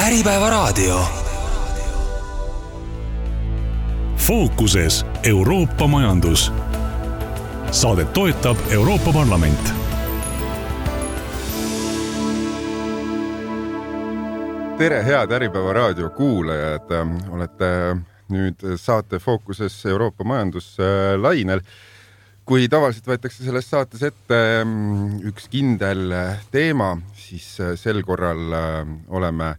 Äripäevaraadio. Fookuses Euroopa majandus. Saadet toetab Euroopa Parlament. Tere, head Äripäevaraadio kuulajad. Olete nüüd saate Fookuses Euroopa majandus lainel. Kui tavaliselt võetakse selles saates ette üks kindel teema, siis sel korral oleme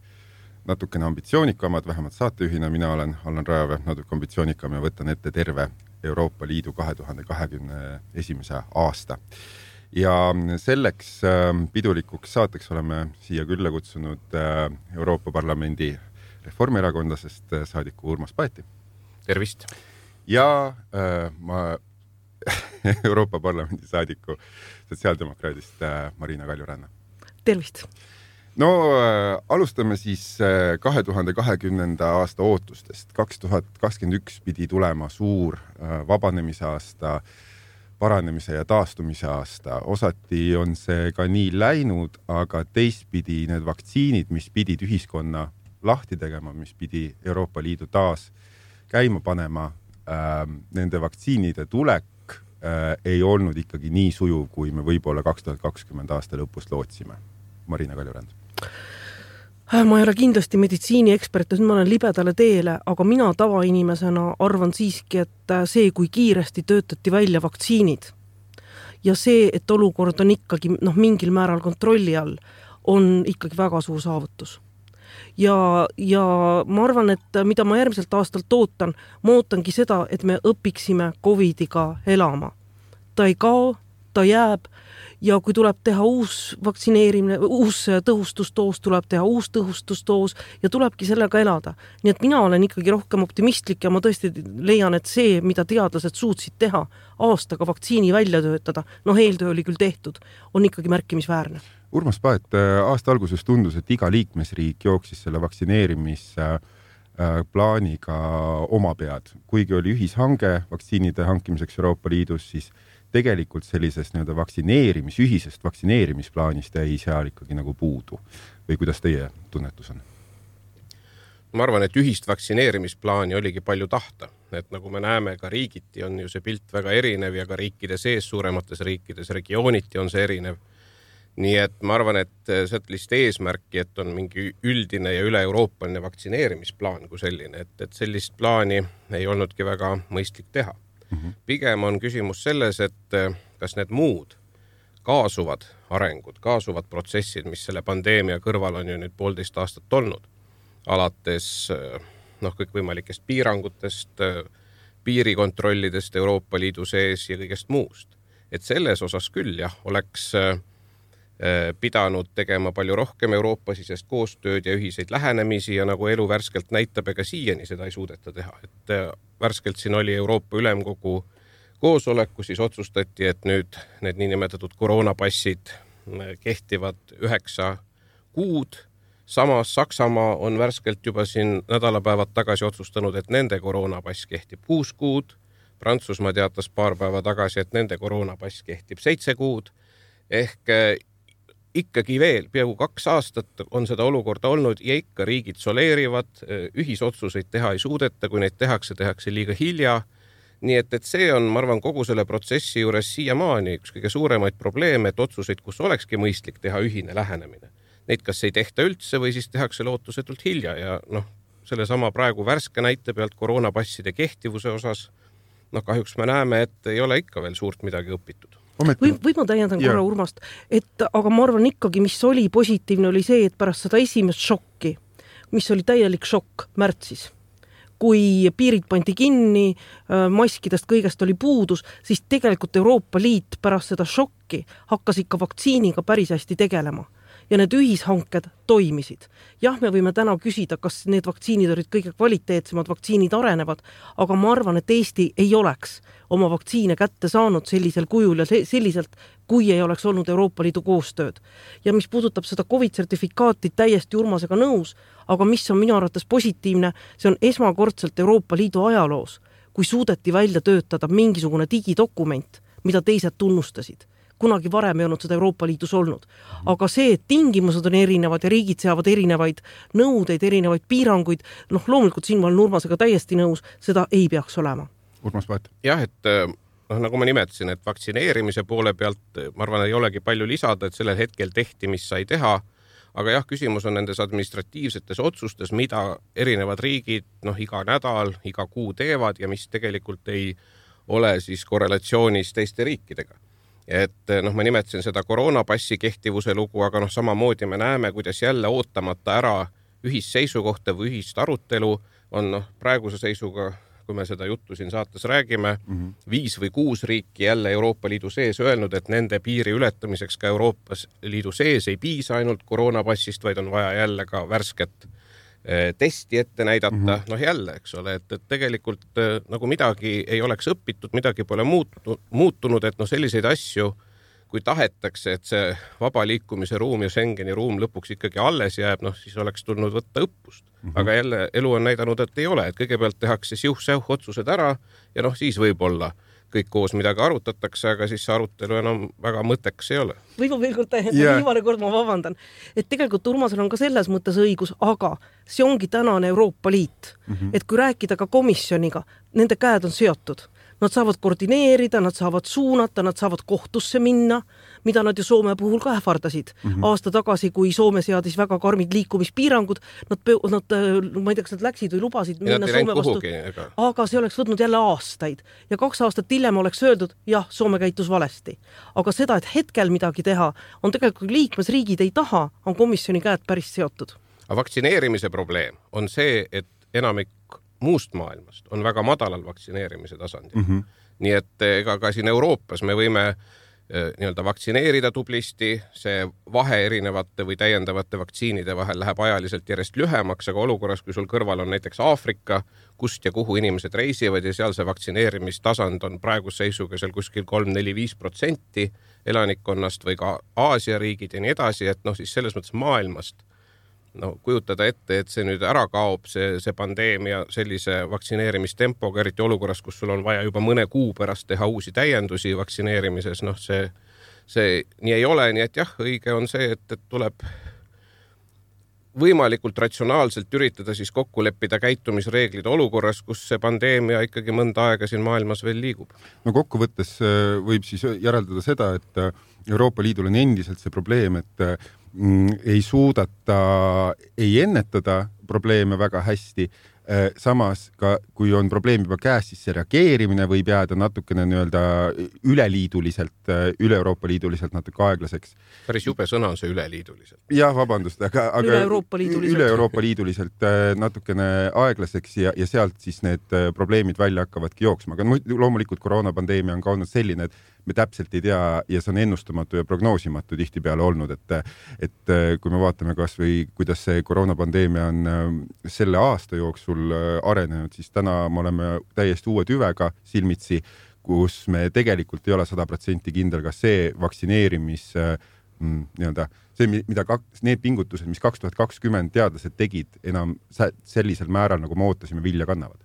natukene ambitsioonikamad, vähemalt saatejuhina mina olen Allan Rajave natuke ambitsioonikam ja võtan ette terve Euroopa Liidu 2021. aasta. Ja selleks pidulikuks saateks oleme siia külla kutsunud Euroopa Parlamendi reformierakondlasest saadiku Urmas Paeti. Tervist! Ja Euroopa Parlamendi saadiku sotsiaaldemokraadist Marina Kaljuranna. Tervist! No alustame siis 2020. aasta ootustest. 2021 pidi tulema suur vabanemise aasta, paranemise ja taastumise aasta. Osati on see ka nii läinud, aga teistpidi need vaktsiinid, mis pidid ühiskonna lahti tegema, mis pidi Euroopa Liidu taas käima panema, nende vaktsiinide tulek ei olnud ikkagi nii sujuv, kui me võib-olla 2020 aasta lõpus lootsime. Marina Kaljurand. Ma ei ole kindlasti meditsiiniekspert, ma olen libedale teele, aga mina tavainimesena arvan siiski, et see, kui kiiresti töötati välja vaktsiinid ja see, et olukord on ikkagi mingil määral kontrolli all, on ikkagi väga suur saavutus. Ja ma arvan, et mida ma järgmiselt aastalt ootan, ma ootangi seda, et me õpiksime COVIDiga elama. Ta ei kao, ta jääb ja kui tuleb teha uus vaktsineerimine, uus tõhustustoos, tuleb teha uus tõhustustoos ja tulebki sellega elada. Nii et mina olen ikkagi rohkem optimistlik ja ma tõesti leian, et see, mida teadlased suutsid teha aastaga vaktsiini välja töötada, eeltöö oli küll tehtud, on ikkagi märkimisväärne. Urmas Paet, aasta alguses tundus, et iga liikmesriik jooksis selle vaktsineerimisplaaniga oma pead. Kuigi oli ühishange vaktsiinide hankimiseks Euroopa Liidus, siis tegelikult sellisest ühisest vaktsineerimisplaanist jäi seal ikkagi nagu puudu. Või kuidas teie tunnetus on? Ma arvan, et ühist vaktsineerimisplaani oligi palju tahta. Et nagu me näeme, ka riigiti on ju see pilt väga erinev ja ka riikide sees, suuremates riikides, regiooniti on see erinev. Nii et ma arvan, et sellist eesmärki, et on mingi üldine ja üle-euroopaline vaktsineerimisplaan kui selline, et sellist plaani ei olnudki väga mõistlik teha. Pigem on küsimus selles, et kas need muud kaasuvad arengud, kaasuvad protsessid, mis selle pandeemia kõrval on ju nüüd 1,5 aastat olnud, alates kõikvõimalikest piirangutest, piirikontrollidest Euroopa Liidu sees ja kõigest muust. Et selles osas küll oleks pidanud tegema palju rohkem Euroopa-sisest koostööd ja ühiseid lähenemisi ja nagu elu värskelt näitab, ega siiani seda ei suudeta teha. Et värskelt siin oli Euroopa Ülemkogu koosoleku, siis otsustati, et nüüd need niinimetatud koroonapassid kehtivad 9 kuud. Samas Saksamaa on värskelt juba siin nädalapäevad tagasi otsustanud, et nende koroonapass kehtib 6 kuud. Prantsusmaa teatas paar päeva tagasi, et nende koroonapass kehtib 7 kuud. Ehk ikkagi veel peaaegu 2 aastat on seda olukorda olnud ja ikka riigid soleerivad, ühisotsuseid teha ei suudeta, kui neid tehakse liiga hilja. Nii et see on, ma arvan, kogu selle protsessi juures siiamaani üks kõige suuremaid probleeme, et otsuseid, kus olekski mõistlik teha ühine lähenemine. Neid kas ei tehta üldse või siis tehakse lootusetult hilja ja selle sama praegu värske näite pealt koroonapasside kehtivuse osas, kahjuks me näeme, et ei ole ikka veel suurt midagi õpitud. Või ma täiendan korra Urmast, aga ma arvan ikkagi, mis oli positiivne, oli see, et pärast seda esimest šokki, mis oli täielik šokk märtsis, kui piirid pandi kinni, maskidest kõigest oli puudus, siis tegelikult Euroopa Liit pärast seda šokki hakkas ikka vaktsiiniga päris hästi tegelema. Ja need ühishanked toimisid. Jah, me võime täna küsida, kas need vaktsiinid olid kõige kvaliteetsemad, vaktsiinid arenevad, aga ma arvan, et Eesti ei oleks oma vaktsiine kätte saanud sellisel kujul ja selliselt, kui ei oleks olnud Euroopa Liidu koostööd. Ja mis puudutab seda COVID-sertifikaati, täiesti Urmasega nõus, aga mis on minu arvates positiivne, see on esmakordselt Euroopa Liidu ajaloos, kui suudeti välja töötada mingisugune digidokument, mida teised tunnustasid. kunagi varem ei olnud seda Euroopa Liidus olnud. Aga see, et tingimused on erinevad ja riigid seavad erinevaid nõudeid, erinevaid piiranguid, loomulikult siin ma olen Urmasega täiesti nõus, seda ei peaks olema. Urmas Paet. Jah, et nagu ma nimetasin, et vaktsineerimise poole pealt ma arvan, ei olegi palju lisada, et sellel hetkel tehti, mis sai teha, aga jah, küsimus on nendes administratiivsetes otsustes, mida erinevad riigid iga nädal, iga kuu teevad ja mis tegelikult ei ole siis korrelatsioonis teiste riikidega. Et ma nimetasin seda koroonapassi kehtivuse lugu, aga samamoodi me näeme, kuidas jälle ootamata ära ühisseisukohta või ühist arutelu on praeguse seisuga, kui me seda juttu siin saates räägime, 5 või 6 riiki jälle Euroopa Liidu sees öelnud, et nende piiri ületamiseks ka Euroopa Liidu sees ei piisa ainult koroonapassist, vaid on vaja jälle ka värsket testi ette näidata. Jälle, eks ole, et tegelikult nagu midagi ei oleks õpitud, midagi pole muutunud, et selliseid asju, kui tahetakse, et see vaba liikumise ruum ja Schengeni ruum lõpuks ikkagi alles jääb, siis oleks tulnud võtta õppust. Aga jälle elu on näidanud, et ei ole, et kõigepealt tehakse siuh-säuh otsused ära ja siis võib-olla kõik koos midagi arutatakse, aga siis see arutelu enam väga mõttekas ei ole. Või ma veel kord viimane kord ma vabandan, et tegelikult Urmasel on ka selles mõttes õigus, aga see ongi tänane Euroopa Liit. Et kui rääkida ka komisjoniga, nende käed on seotud. Nad saavad koordineerida, nad saavad suunata, nad saavad kohtusse minna, mida nad ju Soome puhul ka ähvardasid. Aasta tagasi, kui Soome seadis väga karmid liikumispiirangud, nad ma ei tea, kas nad läksid või lubasid minna Soome vastu, aga see oleks võtnud jälle aastaid. Ja 2 aastat hiljem oleks öeldud, jah, Soome käitus valesti. Aga seda, et hetkel midagi teha, on tegelikult liikmesriigid ei taha, on komisjoni käed päris seotud. Aga vaktsineerimise probleem on see, et enamik muust maailmast on väga madalal vaktsineerimise tasandil. Nii et ega ka siin Euroopas me võime vaktsineerida tublisti, see vahe erinevate või täiendavate vaktsiinide vahel läheb ajaliselt järjest lühemaks, aga olukorras, kui sul kõrval on näiteks Aafrika, kust ja kuhu inimesed reisivad ja seal see vaktsineerimistasand on praeguse seisuga seal kuskil 3-4-5% elanikkonnast või ka Aasia riigid ja nii edasi, et siis selles mõttes maailmast kujutada ette, et see nüüd ära kaob, see pandeemia sellise vaktsineerimistempoga, eriti olukorras, kus sul on vaja juba mõne kuu pärast teha uusi täiendusi vaktsineerimises, see nii ei ole, nii et jah, õige on see, et tuleb võimalikult ratsionaalselt üritada siis kokku leppida käitumisreeglid olukorras, kus see pandeemia ikkagi mõnda aega siin maailmas veel liigub. Kokkuvõttes võib siis järeldada seda, et Euroopa Liidul on endiselt see probleem, et ei suudata ei ennetada probleeme väga hästi, samas ka kui on probleem juba käes, siis see reageerimine võib jääda natukene üleliiduliselt, üle-Euroopa-liiduliselt natuke aeglaseks. Päris jube sõna on see üleliiduliselt. Jah, vabandust, aga üle-Euroopa-liiduliselt natukene aeglaseks ja sealt siis need probleemid välja hakkavadki jooksma. Aga loomulikult koroonapandeemia on ka olnud selline, et me täpselt ei tea ja see on ennustamatu ja prognoosimatu tihtipeale olnud, et kui me vaatame kas või kuidas see koroonapandeemia on selle aasta jooksul arenenud, siis täna me oleme täiesti uue tüvega silmitsi, kus me tegelikult ei ole 100% kindel, kas see vaktsineerimis need pingutused, mis 2020 teadlased tegid, enam sellisel määral, nagu me ootasime, vilja kannavad.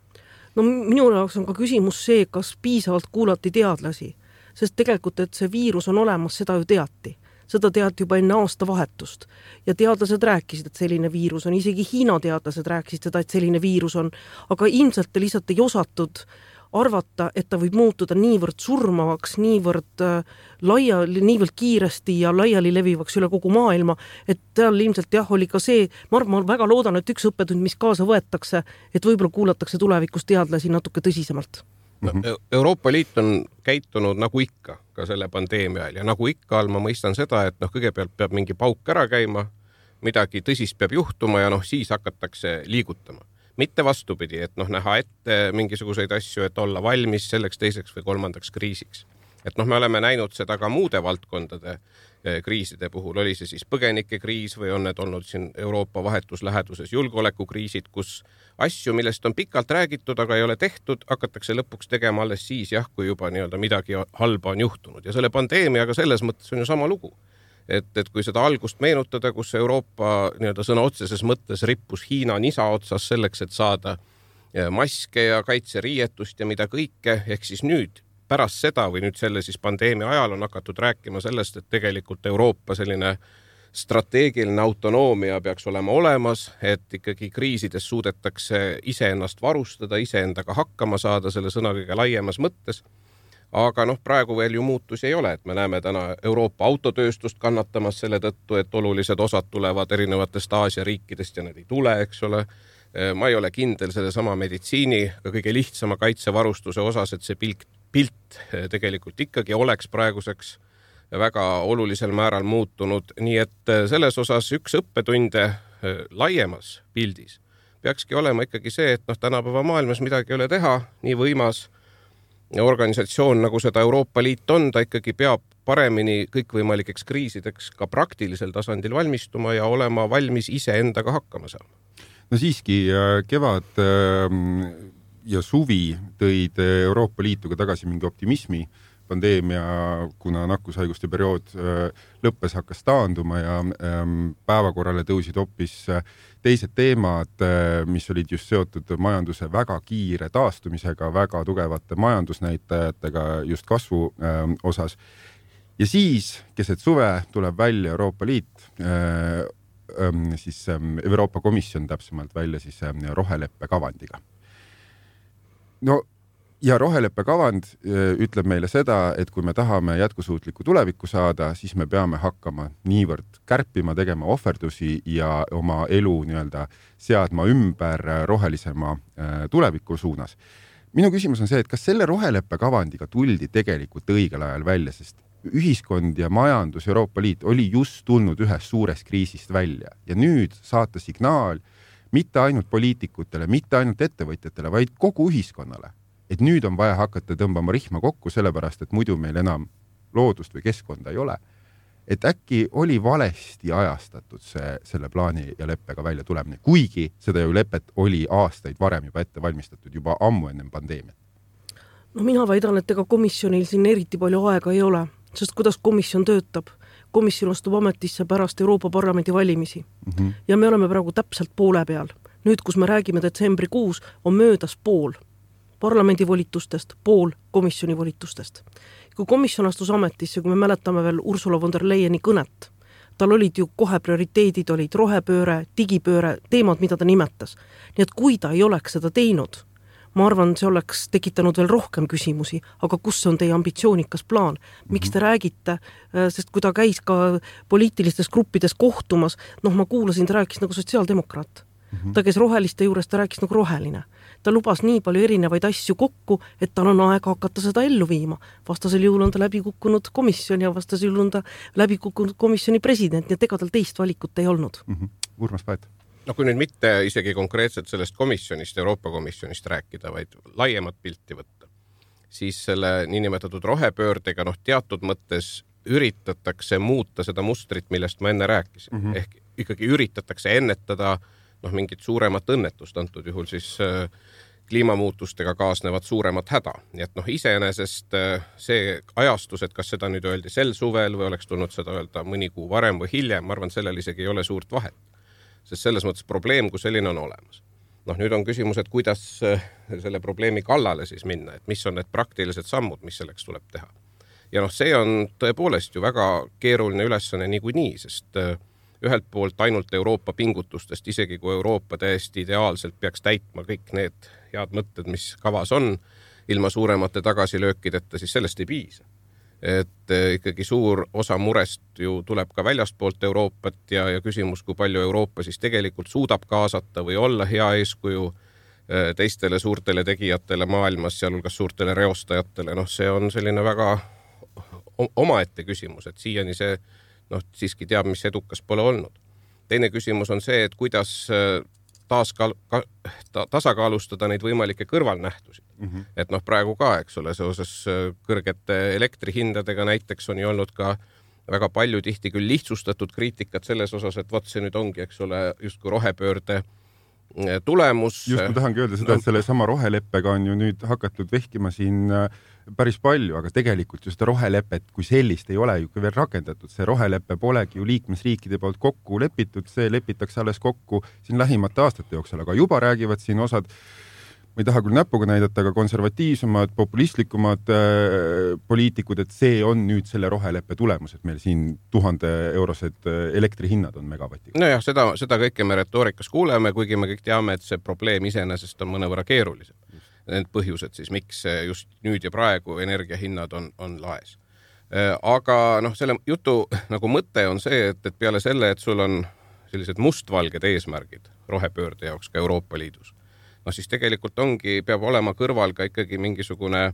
Minu jaoks on ka küsimus see, kas piisavalt kuulati teadlasi. Sest tegelikult, et see viirus on olemas, seda ju teati. Seda teati juba enne aastavahetust. Ja teadlased rääkisid, et selline viirus on. Isegi Hiina teadlased rääkisid seda, et selline viirus on. Aga ilmselt lihtsalt ei osatud arvata, et ta võib muutuda niivõrd surmavaks, niivõrd kiiresti ja laiali levivaks üle kogu maailma, et tal ilmselt oli ka see, ma väga loodan, et üks õppetund, mis kaasa võetakse, et võib-olla kuulatakse tulevikus teadlasi natuke tõsisemalt. Euroopa Liit on käitunud nagu ikka ka selle pandeemia ajal ja nagu ikka all ma mõistan seda, et kõigepealt peab mingi pauk ära käima, midagi tõsist peab juhtuma ja siis hakatakse liigutama. Mitte vastupidi, et näha ette mingisuguseid asju, et olla valmis selleks teiseks või kolmandaks kriisiks. Et me oleme näinud seda ka muude valdkondade kriiside puhul, oli see siis põgenikekriis või on need olnud siin Euroopa vahetusläheduses julgeolekukriisid, kus asju, millest on pikalt räägitud, aga ei ole tehtud, hakatakse lõpuks tegema alles siis, kui juba midagi halba on juhtunud. Ja selle pandeemiaga selles mõttes on ju sama lugu. Et kui seda algust meenutada, kus Euroopa sõna otseses mõttes rippus Hiina nisa otsas selleks, et saada maske ja kaitseriietust ja mida kõike, ehk siis nüüd pärast seda või nüüd selle siis pandeemia ajal on hakatud rääkima sellest, et tegelikult Euroopa selline strateegiline autonoomia peaks olema olemas, et ikkagi kriisides suudetakse iseennast varustada, iseendaga hakkama saada selle sõna kõige laiemas mõttes. Aga praegu veel ju muutusi ei ole, et me näeme täna Euroopa autotööstust kannatamas selle tõttu, et olulised osad tulevad erinevatest Aasia riikidest ja need ei tule, eks ole. Ma ei ole kindel selle sama meditsiini, ka kõige lihtsama kaitsevarustuse osas, et see pilt tegelikult ikkagi oleks praeguseks väga olulisel määral muutunud. Nii et selles osas üks õppetunde laiemas pildis peakski olema ikkagi see, et tänapäeva maailmas midagi ei ole teha, nii võimas organisatsioon, nagu seda Euroopa Liit on, ta ikkagi peab paremini kõikvõimalikeks kriisideks ka praktilisel tasandil valmistuma ja olema valmis iseendaga hakkama saama. No siiski kevad ja suvi tõid Euroopa Liituga tagasi mingi optimismi. Pandeemia, kuna nakkushaiguste periood lõppes, hakkas taanduma ja päevakorrale tõusid hoopis teised teemad, mis olid just seotud majanduse väga kiire taastumisega, väga tugevate majandusnäitajatega just kasvu osas. Ja siis, keset suve, tuleb välja Euroopa Liit, siis Euroopa Komisjon täpsemalt välja siis roheleppe kavandiga. Ja roheleppe kavand ütleb meile seda, et kui me tahame jätkusuutlikku tulevikku saada, siis me peame hakkama niivõrd kärpima, tegema ohverdusi ja oma elu seadma ümber rohelisema tuleviku suunas. Minu küsimus on see, et kas selle roheleppe kavandiga tuldi tegelikult õigel ajal välja, sest ühiskond ja majandus Euroopa Liit oli just tulnud ühest suurest kriisist välja ja nüüd saata signaal mitte ainult poliitikutele, mitte ainult ettevõtjatele, vaid kogu ühiskonnale. Et nüüd on vaja hakata tõmbama rihma kokku, sellepärast, et muidu meil enam loodust või keskkonda ei ole. Et äkki oli valesti ajastatud selle plaani ja leppega välja tulemine, kuigi seda ju lepet oli aastaid varem juba ette valmistatud, juba ammu ennem pandeemiat. Mina väidan, et ega komisjonil siin eriti palju aega ei ole, sest kuidas komisjon töötab? Komisjon astub ametisse pärast Euroopa Parlamendi valimisi. Ja me oleme praegu täpselt poole peal. Nüüd, kus me räägime detsembrikuus, on möödas pool parlamendi volitustest, pool komisjoni volitustest. Kui komisjon astus ametisse, kui me mäletame veel Ursula von der Leyeni kõnet, tal olid ju kohe prioriteedid, olid rohepööre, digipööre, teemad, mida ta nimetas. Nii et kui ta ei oleks seda teinud, ma arvan, see oleks tekitanud veel rohkem küsimusi, aga kus on teie ambitsioonikas plaan? Miks te räägite, sest kui ta käis ka poliitilistes gruppides kohtumas, ma kuulasin, ta rääkis nagu sotsiaaldemokraat. Ta käis roheliste juures, ta rääkis nagu roheline. Ta lubas nii palju erinevaid asju kokku, et tal on aega hakata seda ellu viima. Vastasel juhul on ta läbi kukkunud komisjon ja vastasel juhul on ta läbi kukkunud komisjoni president, nii et ega tal teist valikut ei olnud. Urmas Paet. Kui nüüd mitte isegi konkreetselt sellest komisjonist, Euroopa komisjonist rääkida, vaid laiemat pilti võtta, siis selle niinimetatud rohepöördega teatud mõttes üritatakse muuta seda mustrit, millest ma enne rääkisin. Ehk ikkagi üritatakse ennetada mingit suuremat õnnetust, antud juhul siis kliimamuutustega kaasnevad suuremat häda. Nii et iseenesest see ajastus, et kas seda nüüd öeldi sel suvel või oleks tulnud seda öelda mõni kuu varem või hiljem, ma arvan, sellel isegi ei ole suurt vahet. Sest selles mõttes probleem, kui selline on olemas. Nüüd on küsimus, et kuidas selle probleemi kallale siis minna, et mis on need praktilised sammud, mis selleks tuleb teha. Ja see on tõepoolest ju väga keeruline ülesanne niikuinii, sest ühelt poolt ainult Euroopa pingutustest, isegi kui Euroopa täiesti ideaalselt peaks täitma kõik need head mõtted, mis kavas on, ilma suuremate tagasilöökideta, siis sellest ei piisa. Et ikkagi suur osa murest ju tuleb ka väljastpoolt Euroopat ja küsimus, kui palju Euroopa siis tegelikult suudab kaasata või olla hea eeskuju teistele suurtele tegijatele maailmas, sealhulgas suurtele reostajatele. See on selline väga omaette küsimus, et siiani see siiski teab, mis edukas pole olnud. Teine küsimus on see, et kuidas tasakaalustada neid võimalikke kõrvalnähtusid. Et praegu ka, eks ole, seoses kõrgete elektrihindadega näiteks on ju olnud ka väga palju tihti küll lihtsustatud kriitikat selles osas, et vot see nüüd ongi, eks ole, justkui rohepöörde tulemus. Just ma tahangi öelda seda, et selle sama roheleppega on ju nüüd hakatud vehkima siin päris palju, aga tegelikult ju seda rohelepet kui sellist ei ole ju veel rakendatud. See roheleppe polegi ju liikmesriikide poolt kokku lepitud, see lepitakse alles kokku siin lähimate aastate jooksul, aga juba räägivad siin osad ma ei taha küll näpuga näidata, aga konservatiivsemad, populistlikumad poliitikud, et see on nüüd selle roheleppe tulemus, et meil siin 1000-eurosed elektrihinnad on megavatiga. Nojah, seda kõike me retoorikas kuuleme, kuigi me kõik teame, et see probleem iseenesest on mõnevõrra keerulisem. Need põhjused siis, miks just nüüd ja praegu energiahinnad on laes. Aga selle jutu nagu mõte on see, et peale selle, et sul on sellised mustvalged eesmärgid rohepöörde jaoks ka Euroopa Liidus, siis tegelikult peab olema kõrval ka ikkagi mingisugune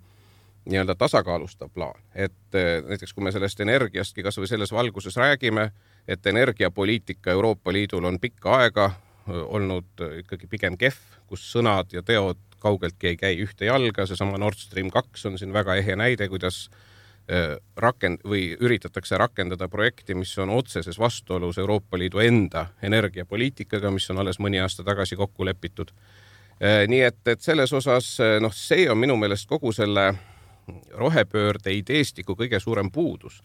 nii-öelda tasakaalustav plaan. Et näiteks kui me sellest energiastki kas või selles valguses räägime, et energiapoliitika Euroopa Liidul on pikka aega olnud ikkagi pigem kehv, kus sõnad ja teod kaugeltki ei käi ühte jalga, seesama Nord Stream 2 on siin väga ehe näide, kuidas üritatakse rakendada projekti, mis on otseses vastuolus Euroopa Liidu enda energiapoliitikaga, mis on alles mõni aasta tagasi kokku lepitud. Nii et selles osas, see on minu meelest kogu selle rohepöörde ideestiku kõige suurem puudus,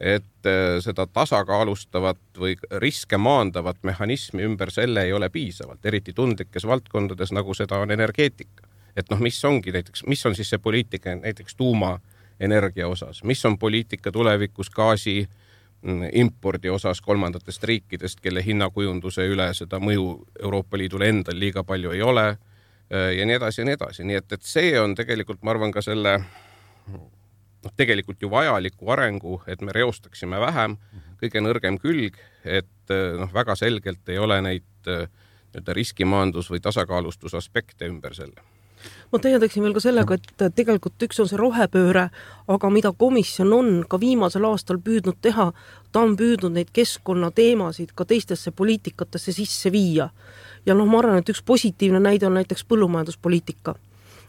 et seda tasakaalustavat või riske maandavat mehhanismi ümber selle ei ole piisavalt, eriti tundlikes valdkondades, nagu seda on energeetika. Et mis on siis see poliitika näiteks tuumaenergia osas, mis on poliitika tulevikus gaasi impordi osas kolmandatest riikidest, kelle hinnakujunduse üle seda mõju Euroopa Liidule endal liiga palju ei ole ja nii edasi ja nii edasi. Nii et see on tegelikult, ma arvan, ka selle tegelikult ju vajaliku arengu, et me reostaksime vähem, kõige nõrgem külg, et väga selgelt ei ole neid riskimaandus- või tasakaalustusaspekte ümber selle. Ma täiendaksin veel ka sellega, et tegelikult üks on see rohepööre, aga mida komisjon on ka viimasel aastal püüdnud teha, ta on püüdnud neid keskkonnateemasid ka teistesse poliitikatesse sisse viia. Ja ma arvan, et üks positiivne näide on näiteks põllumajanduspoliitika.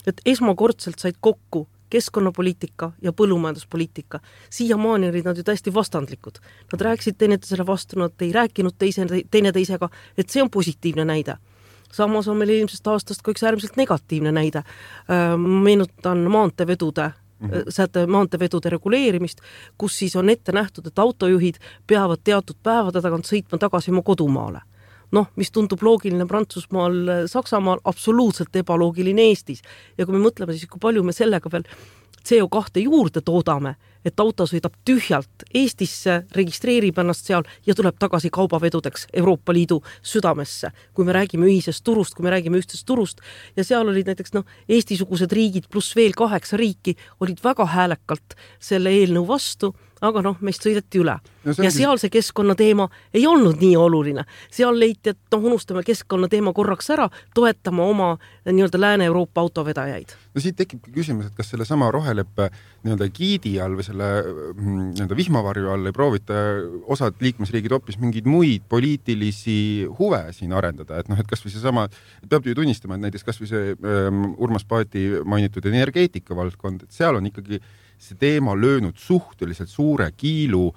Et esmakordselt said kokku keskkonnapoliitika ja põllumajanduspoliitika. Siiamaani olid nad ju täiesti vastandlikud. Nad rääkisid teineteisele vastu, nad ei rääkinud teineteisega, et see on positiivne näide. Samas on meil eelmisest aastast ka üks äärmiselt negatiivne näide. Meenutan maanteevedude reguleerimist, kus siis on ette nähtud, et autojuhid peavad teatud päevade tagant sõitma tagasi oma kodumaale. Mis tundub loogiline Prantsusmaal, Saksamaal, absoluutselt ebaloogiline Eestis. Ja kui me mõtleme siis, kui palju me sellega veel CO2 juurde toodame, et auto sõidab tühjalt Eestisse, registreerib ennast seal ja tuleb tagasi kaubavedudeks Euroopa Liidu südamesse, kui me räägime ühisest turust, kui me räägime ühtsest turust. Ja seal olid näiteks Eesti-sugused riigid pluss veel 8 riiki olid väga häälekalt selle eelnõu vastu, aga meist sõideti üle. Ja seal see keskkonnateema ei olnud nii oluline. Seal leiti, et unustame keskkonnateema korraks ära, toetama oma nii-öelda Lääne-Euroopa autovedajaid. Siit tekibki küsimus, et kas selle sama roheleppe nii-öelda giidi all või selle nii-öelda vihmavarju all ei proovita osad liikmesriigid hoopis mingeid muid poliitilisi huve siin arendada. Et kas või see sama, peab ju tunnistama, et näiteks kas või see Urmas Paeti mainitud energeetika valdkond, et seal on ikkagi see teema löönud suhteliselt suure kiilu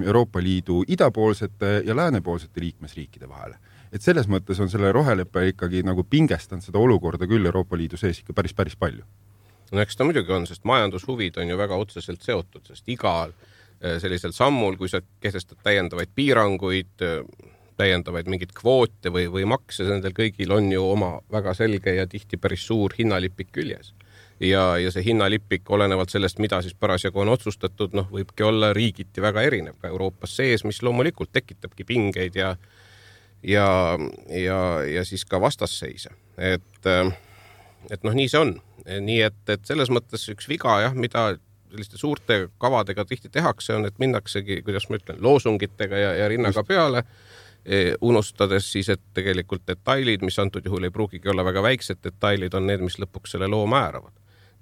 Euroopa Liidu idapoolsete ja läänepoolsete liikmesriikide vahele. Et selles mõttes on selle roheleppe ikkagi nagu pingestanud seda olukorda küll Euroopa Liidu sees ikka päris palju. Eks ta muidugi on, sest majandushuvid on ju väga otseselt seotud, sest igal sellisel sammul, kui sa kehtestad täiendavaid piiranguid, täiendavaid mingid kvoote või makse, nendel kõigil on ju oma väga selge ja tihti päris suur hinnalipik küljes. Ja see hinnalipik olenevalt sellest, mida siis parasjagu on otsustatud, võibki olla riigiti väga erinev ka Euroopas sees, mis loomulikult tekitabki pingeid ja siis ka vastasseise. Et nii see on. Nii et selles mõttes üks viga, mida selliste suurte kavadega tihti tehakse, on, et minnaksegi, kuidas ma ütlen, loosungitega ja rinnaga peale, unustades siis, et tegelikult detailid, mis antud juhul ei pruugigi olla väga väiksed detailid, on need, mis lõpuks selle loo määravad.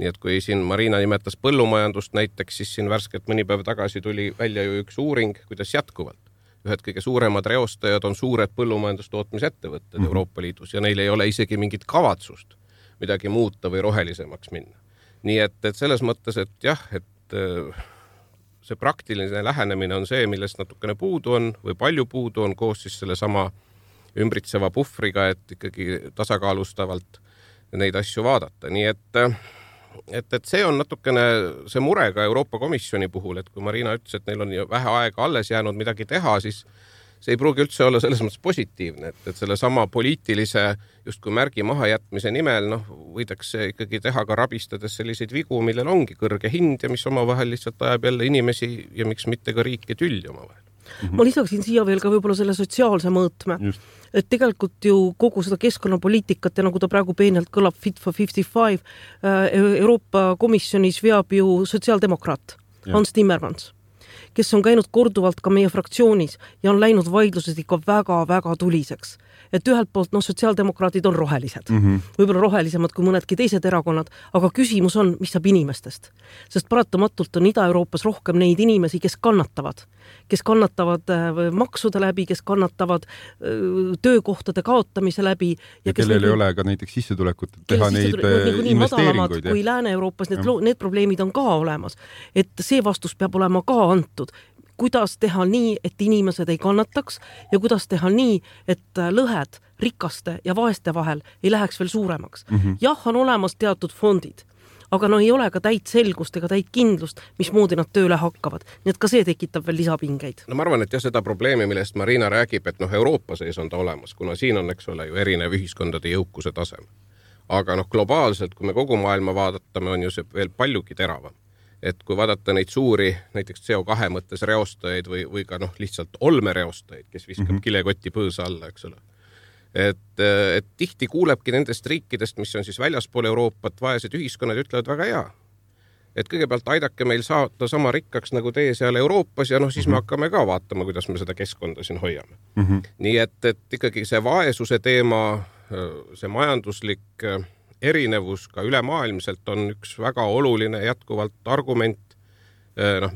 Nii et kui siin Marina nimetas põllumajandust näiteks, siis siin värskelt mõni päev tagasi tuli välja ju üks uuring, kuidas jätkuvalt. Ühed kõige suuremad reostajad on suured põllumajandustootmisettevõtted Euroopa Liidus ja neil ei ole isegi mingit kavatsust midagi muuta või rohelisemaks minna. Nii et selles mõttes, et jah, et see praktiline lähenemine on see, millest natukene puudu on või palju puudu on koos siis selle sama ümbritseva puhvriga, et ikkagi tasakaalustavalt neid asju vaadata. Nii et see on natukene see mure ka Euroopa Komisjoni puhul, et kui Marina ütles, et neil on vähe aega alles jäänud midagi teha, siis see ei pruugi üldse olla selles mõttes positiivne, et selle sama poliitilise justkui märgi mahajätmise nimel võidakse ikkagi teha ka rabistades selliseid vigu, millel ongi kõrge hind ja mis omavahel lihtsalt ajab jälle inimesi ja miks mitte ka riike tülli omavahel. Ma lisaksin siia veel ka võib-olla selle sotsiaalse mõõtme. Et tegelikult ju kogu seda keskkonnapoliitikat ja nagu ta praegu peenelt kõlab Fit for 55 Euroopa Komisjonis veab ju sotsiaaldemokraat Hans Timmermans, kes on käinud korduvalt ka meie fraktsioonis ja on läinud vaidlused ikka väga-väga tuliseks. Et ühelt poolt sotsiaaldemokraadid on rohelised, võib-olla rohelisemad kui mõnedki teised erakonnad, aga küsimus on, mis saab inimestest. Sest paratamatult on Ida-Euroopas rohkem neid inimesi, kes kannatavad maksude läbi, kes kannatavad töökohtade kaotamise läbi. Ja kellel ei ole ka näiteks sissetulekut teha neid investeeringuid. Kui Lääne-Euroopas need probleemid on ka olemas, et see vastus peab olema ka antud. Kuidas teha nii, et inimesed ei kannataks ja kuidas teha nii, et lõhed rikaste ja vaeste vahel ei läheks veel suuremaks. Jah, on olemas teatud fondid, aga ei ole ka täit selgust ega täit kindlust, mismoodi nad tööle hakkavad. Nii et ka see tekitab veel lisapingeid. Ma arvan, et seda probleemi, millest Marina räägib, et Euroopa sees on ta olemas, kuna siin on, eks ole, ju erinev ühiskondade jõukuse tasem. Aga globaalselt, kui me kogu maailma vaadatame, on ju see veel paljugi teravam. Et kui vaadata neid suuri, näiteks CO2 mõttes reostajaid või ka lihtsalt olmereostajaid, kes viskab kilekoti põõsa alla, eks ole. Et tihti kuulebki nendest riikidest, mis on siis väljaspool Euroopat, vaesed ühiskonnad ütlevad väga hea. Et kõigepealt aidake meil saada sama rikkaks nagu teie seal Euroopas ja siis me hakkame ka vaatama, kuidas me seda keskkonda siin hoiame. Nii et ikkagi see vaesuse teema, see majanduslik erinevus ka ülemaailmselt on üks väga oluline jätkuvalt argument,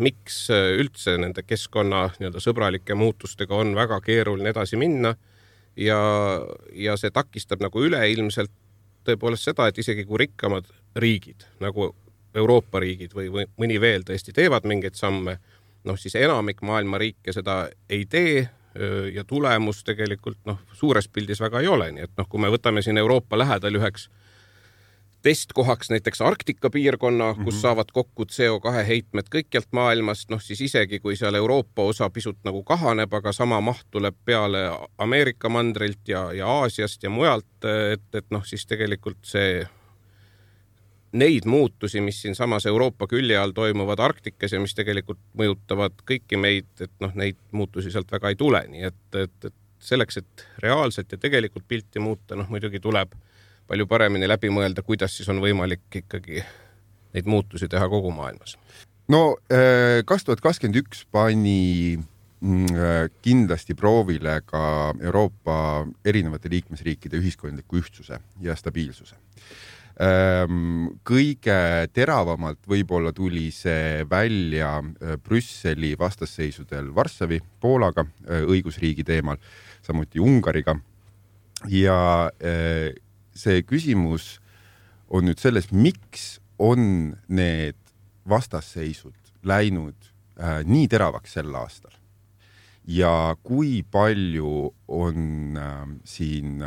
miks üldse nende keskkonna sõbralike muutustega on väga keeruline edasi minna ja see takistab üleilmselt tõepoolest seda, et isegi kui rikkamad riigid, nagu Euroopa riigid või mõni veel tõesti teevad mingeid samme, siis enamik maailma riike seda ei tee ja tulemus tegelikult suures pildis väga ei ole. Nii et kui me võtame siin Euroopa lähedal üheks testkohaks näiteks Arktika piirkonna, kus saavad kokku CO2 heitmed kõikjalt maailmast, siis isegi kui seal Euroopa osa pisut kahaneb, aga sama maht tuleb peale Ameerika mandrilt ja Aasiast ja mujalt, et siis tegelikult neid muutusi, mis siin samas Euroopa külje all toimuvad Arktikas ja mis tegelikult mõjutavad kõiki meid, et neid muutusi sealt väga ei tule. Nii et selleks, et reaalselt ja tegelikult pilti muuta, muidugi tuleb palju paremini läbi mõelda, kuidas siis on võimalik ikkagi neid muutusi teha kogu maailmas. 2021 pani kindlasti proovile ka Euroopa erinevate liikmesriikide ühiskondliku ühtsuse ja stabiilsuse. Kõige teravamalt võib-olla tuli see välja Brüsseli vastasseisudel Varssavi, Poolaga, õigusriigi teemal, samuti Ungariga ja see küsimus on nüüd selles, miks on need vastasseisud läinud nii teravaks sel aastal ja kui palju on siin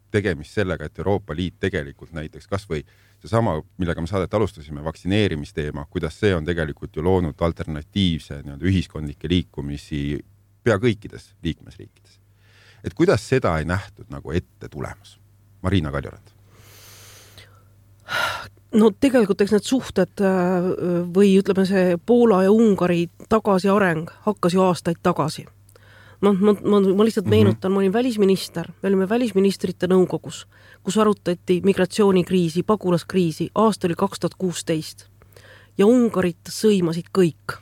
tegemist sellega, et Euroopa Liit tegelikult näiteks kas või seesama, millega me saadet alustasime, vaktsineerimisteema, kuidas see on tegelikult ju loonud alternatiivse ühiskondlikke liikumisi pea kõikides liikmesriikides. Et kuidas seda ei nähtud ette tulemas? Marina Kaljurand. Tegelikult eks need suhted või ütleme see Poola ja Ungari tagasi areng hakkas ju aastaid tagasi. Ma lihtsalt meenutan, ma olin välisminister, me olime välisministrite nõukogus, kus arutati migratsioonikriisi, pagulaskriisi, aasta oli 2016 ja Ungarit sõimasid kõik.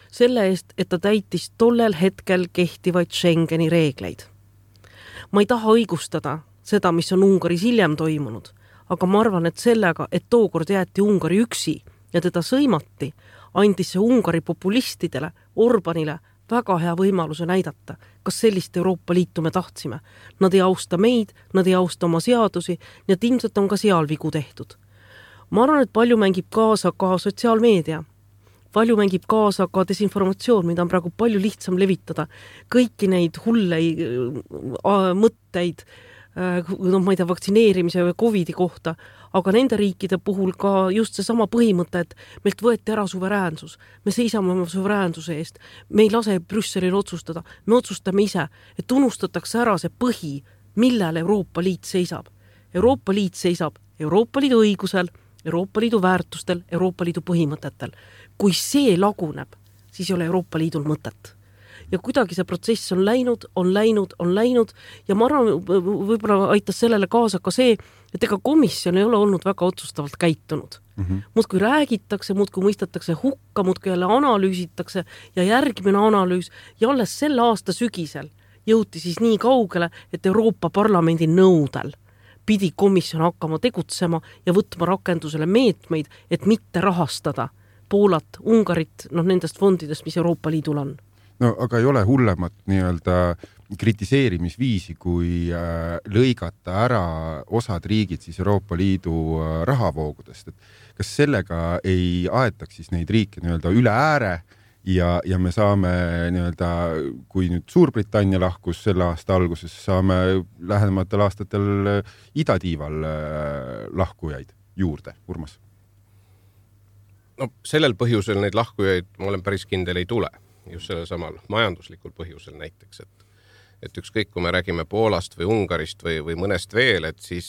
Selle eest, et ta täitis tollel hetkel kehtivaid Schengeni reegleid. Ma ei taha õigustada seda, mis on Ungaris hiljem toimunud, aga ma arvan, et sellega, et tookord jäeti Ungari üksi ja teda sõimati, andis see Ungari populistidele, Orbanile väga hea võimaluse näidata, kas sellist Euroopa Liitu me tahtsime. Nad ei austa meid, nad ei austa oma seadusi, nii et ilmselt on ka seal vigu tehtud. Ma arvan, et palju mängib kaasa ka sotsiaalmeedia. Palju mängib kaasa ka desinformatsioon, mida on praegu palju lihtsam levitada. Kõiki neid hullei mõtteid, ma ei tea, vaktsineerimise või COVIDi kohta, aga nende riikide puhul ka just seesama põhimõte, et meilt võeti ära suveräänsus. Me seisame oma suveräänsuse eest. Me ei lase Brüsselil otsustada. Me otsustame ise, et unustatakse ära see põhi, millel Euroopa Liit seisab. Euroopa Liit seisab Euroopa Liidu õigusel, Euroopa Liidu väärtustel, Euroopa Liidu põhimõtetel. Kui see laguneb, siis ei ole Euroopa Liidul mõtet. Ja kuidagi see protsess on läinud ja ma arvan, võib-olla aitas sellele kaasa ka see, et ega komisjon ei ole olnud väga otsustavalt käitunud. Muudkui räägitakse, muudkui mõistetakse hukka, muudkui jälle analüüsitakse ja järgmine analüüs ja alles selle aasta sügisel jõuti siis nii kaugele, et Euroopa Parlamendi nõudel pidi komisjon hakkama tegutsema ja võtma rakendusele meetmeid, et mitte rahastada Poolat, Ungarit, nendest fondidest, mis Euroopa Liidul on. No aga ei ole hullemat nii-öelda kritiseerimisviisi, kui lõigata ära osad riigid siis Euroopa Liidu rahavoogudest. Et kas sellega ei aetaks siis neid riike nii-öelda üle ääre ja me saame nii-öelda, kui nüüd Suurbritannia lahkus selle aasta alguses, saame lähematel aastatel idatiival lahkujaid juurde, Urmas? No sellel põhjusel neid lahkujaid, ma olen päris kindel, ei tule. Just sellel samal majanduslikul põhjusel näiteks, et ükskõik, kui me räägime Poolast või Ungarist või mõnest veel, et siis,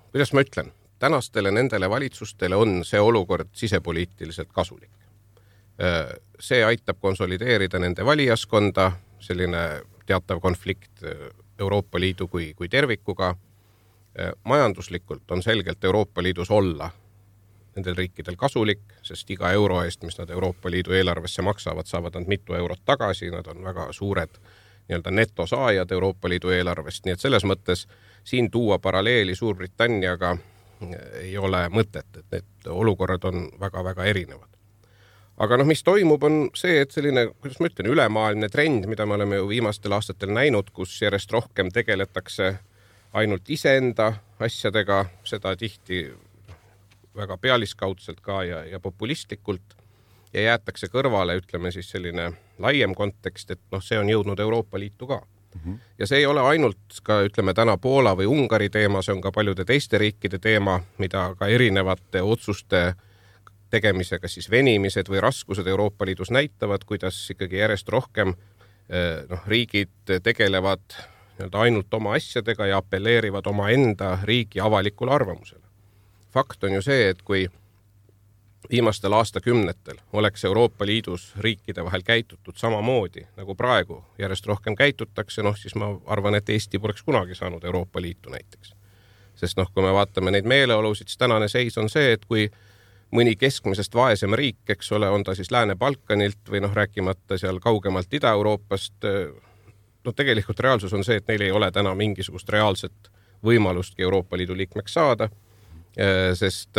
kuidas ma ütlen, tänastele nendele valitsustele on see olukord sisepoliitiliselt kasulik. See aitab konsolideerida nende valijaskonda, selline teatav konflikt Euroopa Liidu kui tervikuga. Majanduslikult on selgelt Euroopa Liidus olla nendel riikidel kasulik, sest iga euro eest, mis nad Euroopa Liidu eelarvesse maksavad, saavad nad mitu eurot tagasi, nad on väga suured nii-öelda netosaajad Euroopa Liidu eelarvest, nii et selles mõttes siin tuua paralleeli Suurbritanniaga ei ole mõtet, et need olukorrad on väga-väga erinevad. Aga mis toimub, on see, et selline, kuidas ma ütlen, ülemaailmne trend, mida me oleme ju viimastel aastatel näinud, kus järjest rohkem tegeletakse ainult iseenda asjadega, seda tihti väga pealiskaudselt ka ja populistlikult ja jäetakse kõrvale, ütleme siis selline laiem kontekst, et see on jõudnud Euroopa Liitu ka. Ja see ei ole ainult ka, ütleme täna Poola või Ungari teema, see on ka paljude teiste riikide teema, mida ka erinevate otsuste tegemisega siis venimised või raskused Euroopa Liidus näitavad, kuidas ikkagi järjest rohkem riigid tegelevad ainult oma asjadega ja appelleerivad oma enda riigi avalikule arvamusele. Fakt on ju see, et kui viimastel aastakümnetel oleks Euroopa Liidus riikide vahel käitutud samamoodi, nagu praegu järjest rohkem käitutakse, siis ma arvan, et Eesti poleks kunagi saanud Euroopa Liitu näiteks. Sest kui me vaatame neid meeleolusid, siis tänane seis on see, et kui mõni keskmisest vaesem riik, eks ole, on ta siis Lääne-Balkanilt või rääkimata seal kaugemalt Ida-Euroopast, tegelikult reaalsus on see, et neil ei ole täna mingisugust reaalset võimalustki Euroopa Liidu liikmeks saada, sest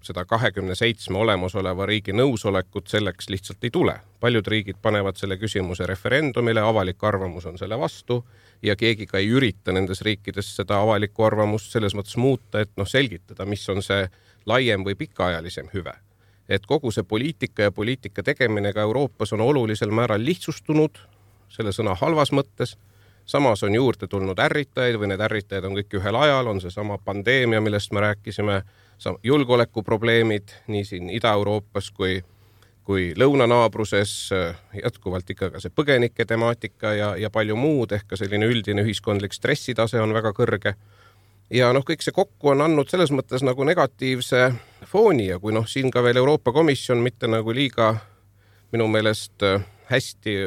seda 27 olemasoleva riigi nõusolekut selleks lihtsalt ei tule. Paljud riigid panevad selle küsimuse referendumile, avalik arvamus on selle vastu ja keegi ka ei ürita nendes riikides seda avalikku arvamust selles mõttes muuta, et selgitada, mis on see laiem või pikaajalisem hüve. Et kogu see poliitika ja poliitika tegemine ka Euroopas on olulisel määral lihtsustunud, selle sõna halvas mõttes. Samas on juurde tulnud ärritajaid või need ärritajad on kõik ühel ajal, on see sama pandeemia, millest me rääkisime, julgeolekuprobleemid nii siin Ida-Euroopas kui lõunanaabruses, jätkuvalt ikka ka see põgenike temaatika ja palju muud, ehk ka selline üldine ühiskondlik stressitase on väga kõrge. Ja kõik see kokku on andnud selles mõttes nagu negatiivse fooni ja kui siin ka veel Euroopa Komisjon mitte nagu liiga minu meelest hästi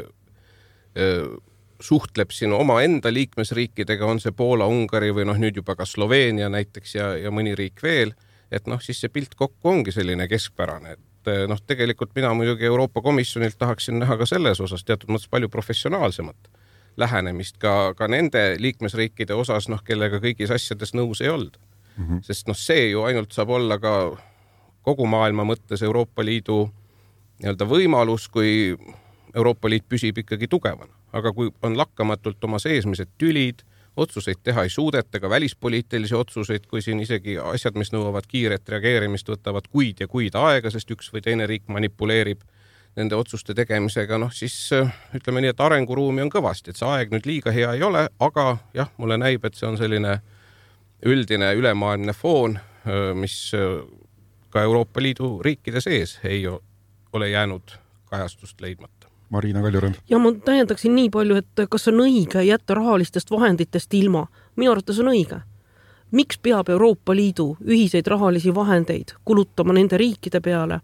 suhtleb siin oma enda liikmesriikidega, on see Poola, Ungari või nüüd juba ka Sloveenia näiteks ja mõni riik veel, et siis see pilt kokku ongi selline keskpärane, et tegelikult mina muidugi Euroopa Komisjonilt tahaksin näha ka selles osas teatud mõttes palju professionaalsemat lähenemist ka nende liikmesriikide osas, kellega kõigis asjades nõus ei olnud. Sest see ju ainult saab olla ka kogu maailma mõttes Euroopa Liidu võimalus, kui Euroopa Liit püsib ikkagi tugevana. Aga kui on lakkamatult oma seesmised tülid, otsuseid teha ei suudeta, ka välispoliitilisi otsuseid, kui siin isegi asjad, mis nõuavad kiiret reageerimist, võtavad kuid ja kuid aega, sest üks või teine riik manipuleerib nende otsuste tegemisega, siis ütleme nii, et arenguruumi on kõvasti, et see aeg nüüd liiga hea ei ole, aga jah, mulle näib, et see on selline üldine ülemaailmne foon, mis ka Euroopa Liidu riikide sees ei ole jäänud kajastust leidmata. Marina Kaljurand. Ja ma täiendaksin nii palju, et kas on õige jätta rahalistest vahenditest ilma. Minu arvates on õige. Miks peab Euroopa Liidu ühiseid rahalisi vahendeid kulutama nende riikide peale,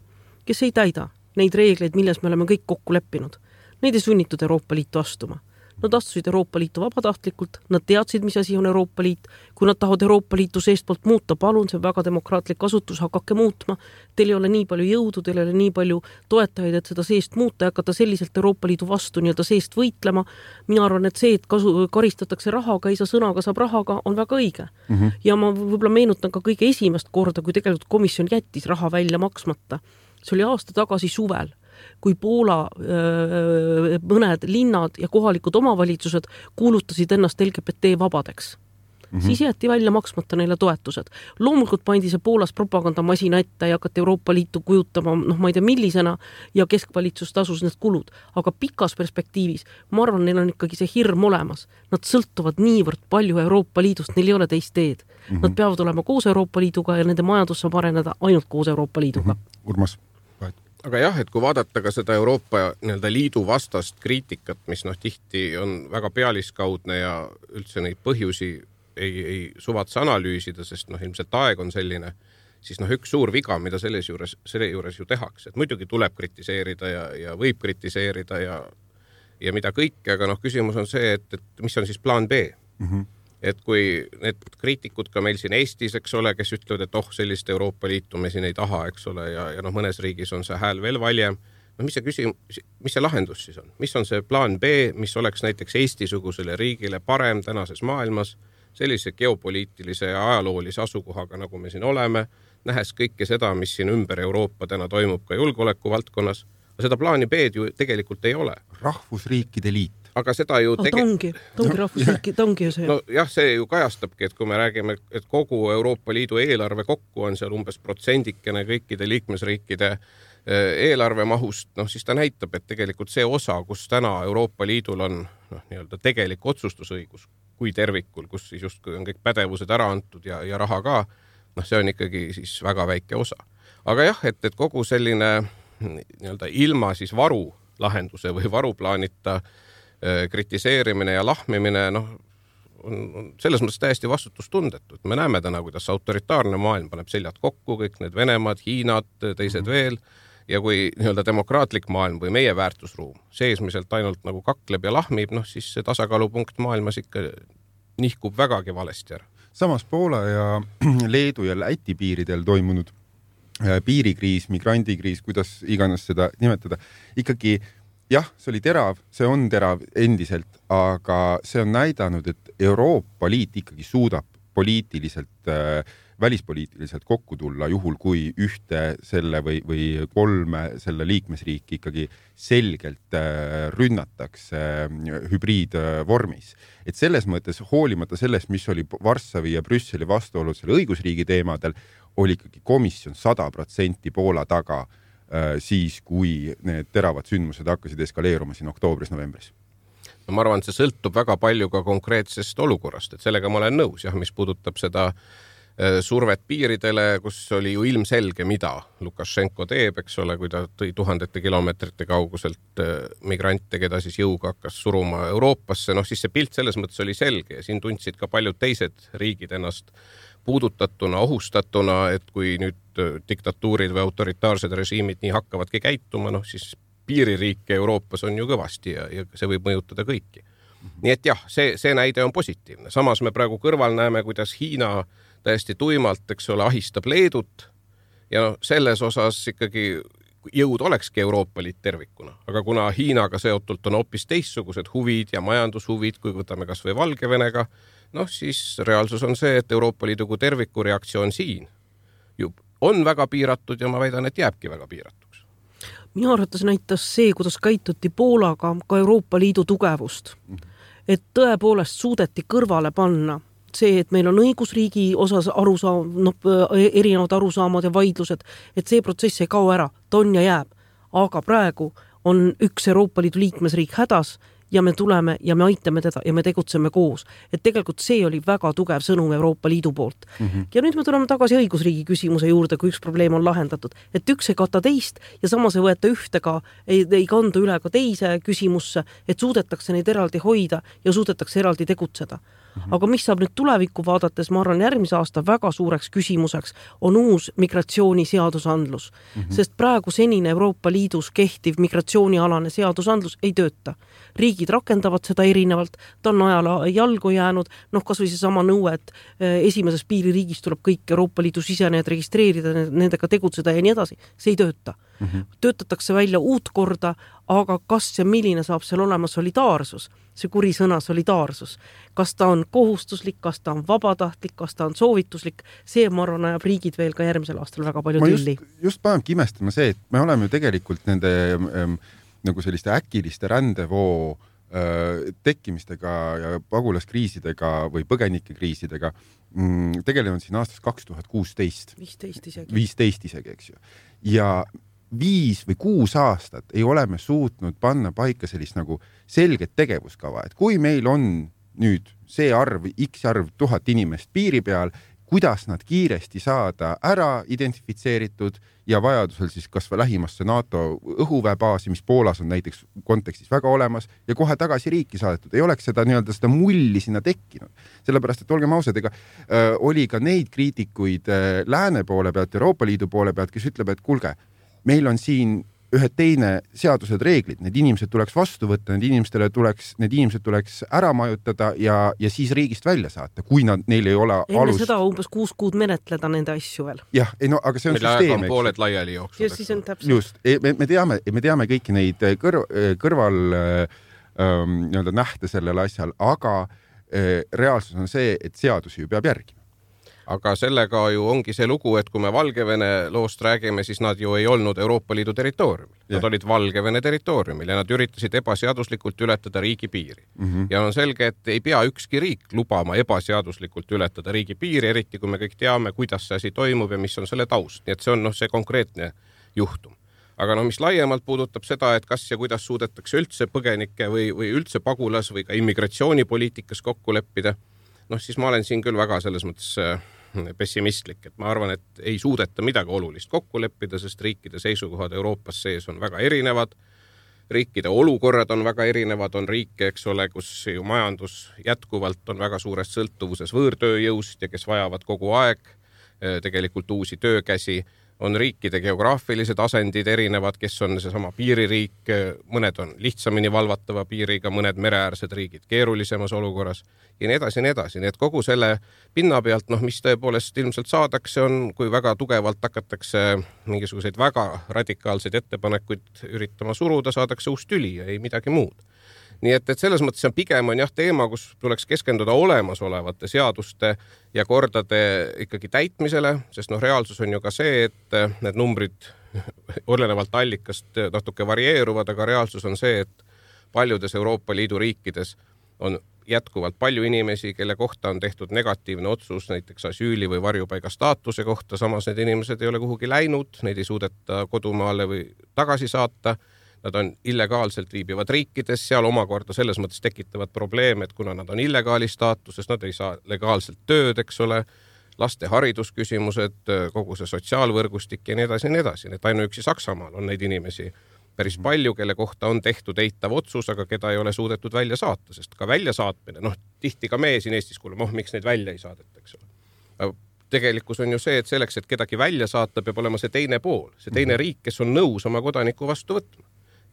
kes ei täida neid reegleid, milles me oleme kõik kokku leppinud? Neid ei sunnitud Euroopa Liitu astuma. Nad astusid Euroopa Liitu vabatahtlikult, nad teadsid, mis asi on Euroopa Liit. Kui nad tahavad Euroopa Liitu seestpoolt muuta, palun, see on väga demokraatlik asutus, hakake muutma. Teil ei ole nii palju jõudu, teil ei ole nii palju toetajaid, et seda seest muuta ja hakata selliselt Euroopa Liidu vastu nii-öelda seest võitlema. Mina arvan, et see, et karistatakse rahaga, ei saa sõnaga, saab rahaga, on väga õige. Ja ma võib-olla meenutan ka kõige esimest korda, kui tegelikult komisjon jättis raha välja maksmata. See oli aasta tagasi suvel, kui Poola mõned linnad ja kohalikud omavalitsused kuulutasid ennast LGBT vabadeks. Siis jäeti välja maksmata neile toetused. Loomulikult pandi see Poolas propagandamasina ette ja hakati Euroopa Liitu kujutama, ma ei tea millisena, ja keskvalitsus tasus need kulud. Aga pikas perspektiivis, ma arvan, neil on ikkagi see hirm olemas. Nad sõltuvad niivõrd palju Euroopa Liidust, neil ei ole teist teed. Nad peavad olema koos Euroopa Liiduga ja nende majandus saab areneda ainult koos Euroopa Liiduga. Urmas. Aga jah, et kui vaadata ka seda Euroopa liidu vastast kriitikat, mis tihti on väga pealiskaudne ja üldse neid põhjusi ei suvatse analüüsida, sest ilmselt aeg on selline, siis üks suur viga, mida selle juures ju tehakse. Et muidugi tuleb kritiseerida ja võib kritiseerida ja mida kõike, aga küsimus on see, et mis on siis plaan B? Et kui need kriitikud ka meil siin Eestis, eks ole, kes ütlevad, et sellist Euroopa Liitu me siin ei taha, eks ole, ja mõnes riigis on see hääl veel valjem. Mis see lahendus siis on? Mis on see plaan B, mis oleks näiteks Eesti-sugusele riigile parem tänases maailmas, sellise geopoliitilise ja ajaloolise asukohaga, nagu me siin oleme, nähes kõike seda, mis siin ümber Euroopa täna toimub ka julgeoleku valdkonnas. Seda plaani B ju tegelikult ei ole. Rahvusriikide liit. Aga seda ju ta ongi rahvusriiki, ta ongi ju see. No jah, see ju kajastabki, et kui me räägime, et kogu Euroopa Liidu eelarve kokku on seal umbes protsendikene kõikide liikmesriikide eelarve mahust, siis ta näitab, et tegelikult see osa, kus täna Euroopa Liidul on nii-öelda tegelik otsustusõigus kui tervikul, kus siis justkui on kõik pädevused ära antud ja raha ka, see on ikkagi siis väga väike osa. Aga jah, et kogu selline nii-öelda ilma siis varu lahenduse või varuplaanita kritiseerimine ja lahmimine on selles mõttes täiesti vastutustundetu. Me näeme täna, kuidas autoritaarne maailm paneb seljad kokku, kõik need Venemaad, Hiinad, teised veel, ja kui nii-öelda demokraatlik maailm või meie väärtusruum seesmiselt ainult nagu kakleb ja lahmib, siis see tasakaalupunkt maailmas ikka nihkub vägagi valesti ära. Samas Poola ja Leedu ja Läti piiridel toimunud piirikriis, migrandikriis, kuidas iganes seda nimetada, ikkagi jah, see oli terav, see on terav endiselt, aga see on näidanud, et Euroopa Liit ikkagi suudab poliitiliselt, välispoliitiliselt kokku tulla juhul, kui ühte selle või kolme selle liikmesriiki ikkagi selgelt rünnatakse hübriidvormis. Et selles mõttes hoolimata sellest, mis oli Varssavi ja Brüsseli vastuolud selle õigusriigi teemadel, oli ikkagi komisjon 100% Poola taga siis, kui need teravad sündmused hakkasid eskaleeruma siin oktoobris-novembris. Ma arvan, et see sõltub väga palju ka konkreetsest olukorrast, et sellega ma olen nõus, jah, mis puudutab seda survet piiridele, kus oli ju ilmselge, mida Lukašenko teeb, eks ole, kui ta tõi tuhandete kilomeetrite kauguselt migrante, keda siis jõuga hakkas suruma Euroopasse, siis see pilt selles mõttes oli selge ja siin tundsid ka paljud teised riigid ennast puudutatuna, ohustatuna, et kui nüüd diktatuurid või autoritaarsed režiimid nii hakkavadki käituma, siis piiririike Euroopas on ju kõvasti ja see võib mõjutada kõiki. Nii et jah, see näide on positiivne. Samas me praegu kõrval näeme, kuidas Hiina täiesti tuimalt, eks ole, ahistab Leedut ja selles osas ikkagi jõud olekski Euroopa Liit tervikuna. Aga kuna Hiinaga seotult on hoopis teistsugused huvid ja majandushuvid, kui võtame kas või Valgevenega, siis reaalsus on see, et Euroopa Liidu kui terviku reaktsioon siin on väga piiratud ja ma väidan, et jääbki väga piiratuks. Minu arvates näitas see, kuidas käituti Poolaga ka Euroopa Liidu tugevust. Et tõepoolest suudeti kõrvale panna see, et meil on õigusriigi osas erinevad arusaamad ja vaidlused, et see protsess ei kao ära, ta on ja jääb. Aga praegu on üks Euroopa Liidu liikmesriik hädas ja me tuleme ja me aitame teda ja me tegutseme koos. Et tegelikult see oli väga tugev sõnum Euroopa Liidu poolt. Ja nüüd me tuleme tagasi õigusriigi küsimuse juurde, kui üks probleem on lahendatud. Et üks ei kata teist ja samas ei võeta ühte ka, ei kandu üle ka teise küsimusse, et suudetakse neid eraldi hoida ja suudetakse eraldi tegutseda. Aga mis saab nüüd tulevikku vaadates, ma arvan, järgmise aasta väga suureks küsimuseks on uus migratsiooniseadusandlus. Sest praegu senine Euroopa Liidus kehtiv migratsioonialane seadusandlus ei tööta. Riigid rakendavad seda erinevalt, ta on ajal jalgu jäänud, kas või see sama nõue, et esimeses piiririigis tuleb kõik Euroopa Liidu sisenejad registreerida, nendega tegutseda ja nii edasi. See ei tööta. Töötatakse välja uut korda, aga kas ja milline saab seal olema solidaarsus, see kuri sõna solidaarsus, kas ta on kohustuslik, kas ta on vabatahtlik, kas ta on soovituslik, see ma arvan ajab riigid veel ka järgmisel aastal väga palju tülli. Just panebki imestama see, et me oleme ju tegelikult nende nagu selliste äkiliste rändevoo tekkimistega ja pagulaskriisidega või põgenikekriisidega tegelevad siin aastast 2016. 15 isegi, eks ju. Ja 5 või 6 aastat ei ole me suutnud panna paika sellist nagu selget tegevuskava, et kui meil on nüüd see arv, x arv 1000 inimest piiri peal, kuidas nad kiiresti saada ära identifitseeritud ja vajadusel siis kas või lähimasse NATO õhuväebaasi, mis Poolas on näiteks kontekstis väga olemas ja kohe tagasi riiki saadetud. Ei oleks seda seda mulli sinna tekkinud. Sellepärast, et olgem ausad, ega oli ka neid kriitikuid lääne poole pealt, Euroopa Liidu poole pealt, kes ütleb, et kuulge, meil on siin ühed teine seadused, reeglid, need inimesed tuleks vastu võtta, need inimesed tuleks ära majutada ja siis riigist välja saata, kui neil ei ole enne alus. Seda umbes 6 kuud menetleda nende asju veel. Jah, aga see on süsteem. Mille pooled laiali jooksul. Siis on täpselt. Just, me teame kõiki neid kõrval nähte sellel asjal, aga reaalsus on see, et seadusi ju peab järgima. Aga sellega ju ongi see lugu, et kui me Valgevene loost räägime, siis nad ju ei olnud Euroopa Liidu territooriumil. Nad olid Valgevene territooriumil ja nad üritasid ebaseaduslikult ületada riigi piiri. Ja on selge, et ei pea ükski riik lubama ebaseaduslikult ületada riigi piiri, eriti kui me kõik teame, kuidas see asi toimub ja mis on selle taust. Nii et see on see konkreetne juhtum. Aga mis laiemalt puudutab seda, et kas ja kuidas suudetakse üldse põgenike või üldse pagulas või ka immigratsioonipoliitikas kokku leppida, siis ma olen siin küll väga selles mõttes pessimistlik, et ma arvan, et ei suudeta midagi olulist kokku leppida, sest riikide seisukohad Euroopas sees on väga erinevad. Riikide olukorrad on väga erinevad, on riike, eks ole, kus ju majandus jätkuvalt on väga suures sõltuvuses võõrtööjõust ja kes vajavad kogu aeg tegelikult uusi töökäsi. On riikide geograafilised asendid erinevad, kes on seesama piiririik, mõned on lihtsamini valvatava piiriga, mõned mereäärsed riigid keerulisemas olukorras ja nii edasi, nii edasi. Nii et kogu selle pinna pealt, mis tõepoolest ilmselt saadakse on, kui väga tugevalt hakatakse mingisuguseid väga radikaalseid ettepanekuid üritama suruda, saadakse uus tüli ja ei midagi muud. Nii et selles mõttes on pigem teema, kus tuleks keskenduda olemasolevate seaduste ja kordade ikkagi täitmisele, sest reaalsus on ju ka see, et need numbrid olenevalt allikast natuke varieeruvad, aga reaalsus on see, et paljudes Euroopa Liidu riikides on jätkuvalt palju inimesi, kelle kohta on tehtud negatiivne otsus näiteks asüüli või varjupaiga staatuse kohta, samas need inimesed ei ole kuhugi läinud, neid ei suudeta kodumaale või tagasi saata. Nad on illegaalselt viibivad riikides, seal omakorda selles mõttes tekitavad probleeme, et kuna nad on illegaali staatuses, nad ei saa legaalselt tööd, eks ole, laste haridusküsimused, kogu see sotsiaalvõrgustik ja nii edasi ja nii edasi. Et ainuüksi Saksamaal on neid inimesi päris palju, kelle kohta on tehtud eitav otsus, aga keda ei ole suudetud välja saata, sest ka välja saatmine, tihti ka meie siin Eestis kuuleme, miks neid välja ei saadeta, eks ole. Tegelikkus on ju see, et selleks, et kedagi välja saata, peab olema see teine pool, see teine riik, kes on nõus oma kodaniku vastu võtma.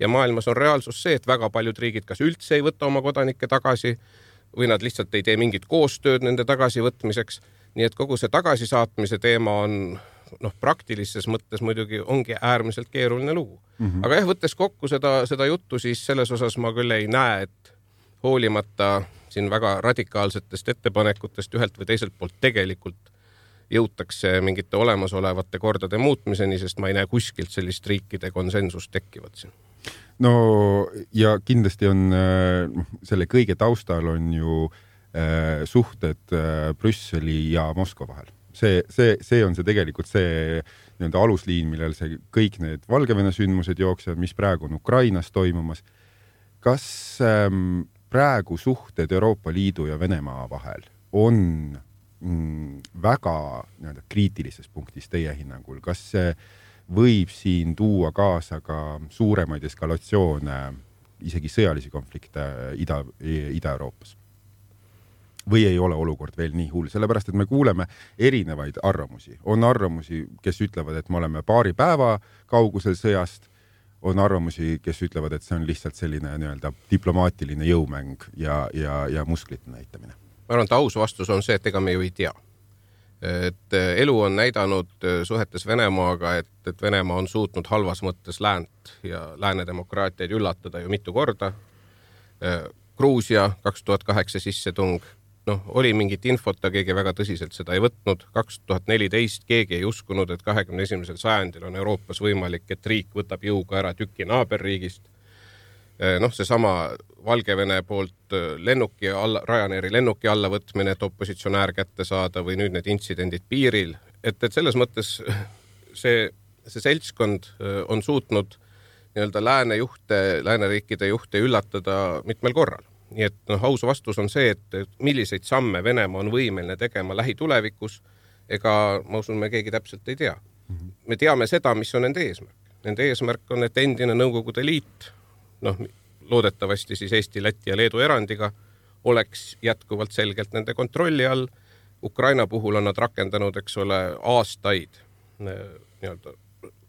Ja maailmas on reaalsus see, et väga paljud riigid kas üldse ei võta oma kodanikke tagasi või nad lihtsalt ei tee mingit koostööd nende tagasivõtmiseks. Nii et kogu see tagasisaatmise teema on praktilises mõttes muidugi ongi äärmiselt keeruline lugu. Aga võttes kokku seda juttu, siis selles osas ma küll ei näe, et hoolimata siin väga radikaalsetest ettepanekutest ühelt või teiselt poolt tegelikult jõutakse mingite olemasolevate kordade muutmiseni, sest ma ei näe kuskilt sellist riikide konsensust tekkivat siin. No ja kindlasti on selle kõige taustal on ju suhted Brüsseli ja Moskva vahel. See on see tegelikult see alusliin, millel see kõik need Valgevene sündmused jooksevad, mis praegu on Ukrainas toimumas. kas praegu suhted Euroopa Liidu ja Venemaa vahel on väga kriitilises punktis teie hinnangul? Kas see võib siin tuua kaasa ka suuremaid eskalatsioone, isegi sõjalisi konflikte Ida-Euroopas? Või ei ole olukord veel nii hull? Sellepärast, et me kuuleme erinevaid arvamusi. On arvamusi, kes ütlevad, et me oleme paari päeva kaugusel sõjast. On arvamusi, kes ütlevad, et see on lihtsalt selline diplomaatiline jõumäng ja musklite näitamine. Ma arvan, et aus vastus on see, et ega me ju ei tea. Et elu on näidanud suhetes Venemaaga, et Venemaa on suutnud halvas mõttes läänt ja lääne demokraatiaid üllatada ju mitu korda. Gruusia 2008 sissetung, oli mingit infot, keegi väga tõsiselt seda ei võtnud. 2014 keegi ei uskunud, et 21. sajandil on Euroopas võimalik, et riik võtab jõuga ära tüki naaberriigist. Seesama Valgevene poolt Ryanairi lennuki alla võtmine, et opositsionäär kätte saada või nüüd need intsidendid piiril. Et selles mõttes see seltskond on suutnud lääneriikide juhte üllatada mitmel korral. Nii et aus vastus on see, et milliseid samme Venemaa on võimeline tegema lähitulevikus, ega ma usun, me keegi täpselt ei tea. Me teame seda, mis on nende eesmärk. Nende eesmärk on, et endine Nõukogude Liit, loodetavasti siis Eesti, Läti ja Leedu erandiga, oleks jätkuvalt selgelt nende kontrolli all. Ukraina puhul on nad rakendanud, aastaid